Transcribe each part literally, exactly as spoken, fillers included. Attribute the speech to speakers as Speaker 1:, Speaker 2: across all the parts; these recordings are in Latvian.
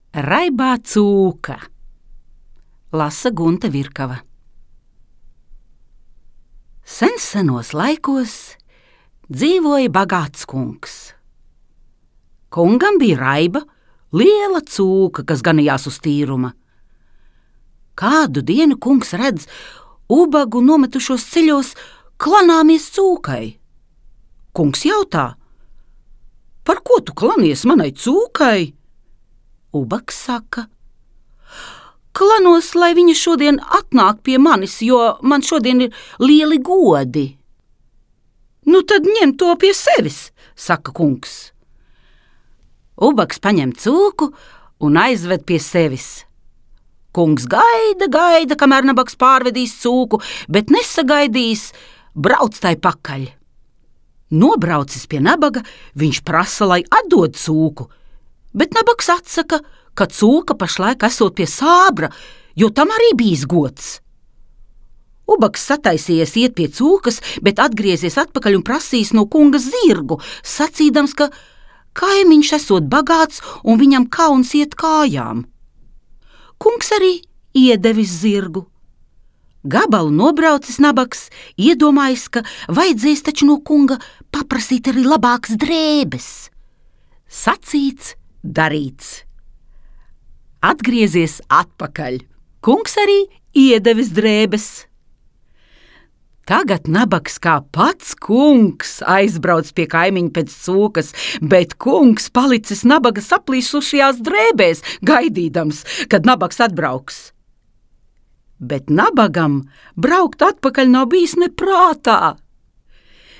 Speaker 1: Raibā cūka. Lasa Gunta Virkava. Sen senos laikos dzīvoja bagāts kungs. Kungam bija raiba, liela cūka, kas ganījās uz tīruma. Kādu dienu kungs redz ubagu nometušos ceļos klanāmies cūkai. Kungs jautā: par ko tu klanies manai cūkai? Ubags saka: klanos, lai viņa šodien atnāk pie manis, jo man šodien ir lieli godi. Nu tad ņem to pie sevis, saka kungs. Ubags paņem cūku un aizved pie sevis. Kungs gaida, gaida, kamēr nabags pārvedīs cūku, bet nesagaidīs, brauc tai pakaļ. Nobraucis pie nabaga, viņš prasa, lai atdod cūku, bet nabags atsaka, ka cūka pašlaik esot pie sābra, jo tam arī bijis gods. Ubags sataisījies iet pie cūkas, bet atgriezies atpakaļ un prasīs no kunga zirgu, sacīdams, ka kaimiņš esot bagāts un viņam kauns iet kājām. Kungs arī iedevis zirgu. Gabalu nobraucis nabags, iedomājis, ka vajadzēs taču no kunga paprasīt arī labākas drēbes. Sacīts, darīts. Atgriezies atpakaļ. Kungs arī iedevis drēbes. Tagad nabags kā pats kungs aizbrauc pie kaimiņa pēc cūkas, bet kungs palicis nabaga saplīsušajās drēbēs, gaidīdams, kad nabags atbrauks. Bet nabagam braukt atpakaļ nav bijis ne prātā.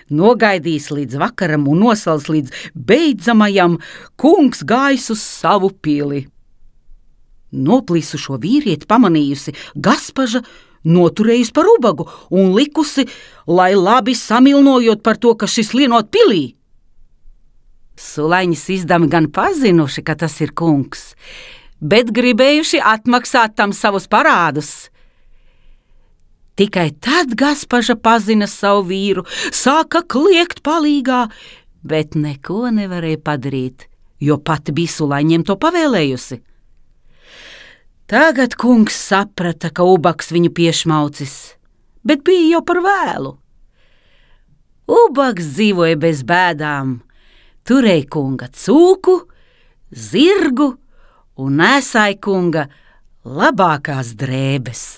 Speaker 1: Nogaidījis līdz vakaram un nosals līdz beidzamajam, kungs gājis uz savu pili. Noplīsušo vīrieti pamanījusi Gaspaža, noturējusi par ubagu un likusi, lai labi samilnojot par to, ka šis lienot pilī. Sulaiņas izdami gan pazinuši, ka tas ir kungs, bet gribējuši atmaksāt tam savus parādus. Tikai tad Gaspaža pazina savu vīru, sāka kliegt palīgā, bet neko nevarēja padarīt, jo pati bija Sulaiņiem to pavēlējusi. Tagad kungs saprata, ka ubags viņu piešmaucis, bet bija jau par vēlu. Ubags dzīvoja bez bēdām, turēja kunga cūku, zirgu un nēsāja kunga labākās drēbes.